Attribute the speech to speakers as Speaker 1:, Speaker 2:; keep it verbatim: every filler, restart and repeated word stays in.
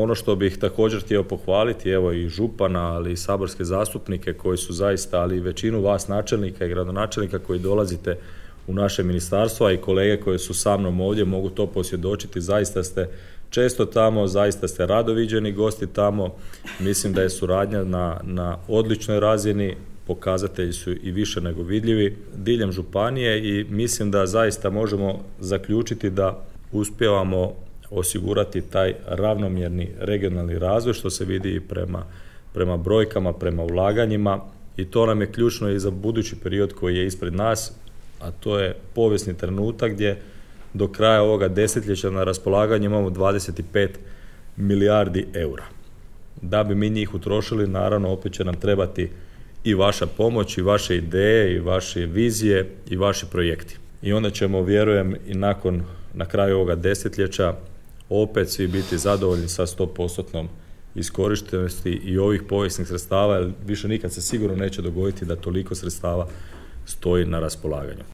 Speaker 1: ono što bih također htio pohvaliti, evo i župana, ali i saborske zastupnike koji su zaista, ali i većinu vas načelnika i gradonačelnika koji dolazite u naše ministarstvo, a i kolege koji su sa mnom ovdje mogu to posvjedočiti, zaista ste često tamo, zaista ste rado viđeni gosti tamo. Mislim da je suradnja na, na odličnoj razini, pokazatelji su i više nego vidljivi diljem županije i mislim da zaista možemo zaključiti da uspijevamo osigurati taj ravnomjerni regionalni razvoj, što se vidi i prema, prema brojkama, prema ulaganjima, i to nam je ključno i za budući period koji je ispred nas, a to je povijesni trenutak gdje do kraja ovoga desetljeća na raspolaganju imamo dvadeset pet milijardi eura. Da bi mi njih utrošili, naravno opet će nam trebati i vaša pomoć, i vaše ideje, i vaše vizije, i vaši projekti. I onda ćemo, vjerujem, i nakon, na kraju ovoga desetljeća opet svi biti zadovoljni sa sto posto iskorištenosti i ovih povijesnih sredstava, jer više nikad se sigurno neće dogoditi da toliko sredstava stoji na raspolaganju.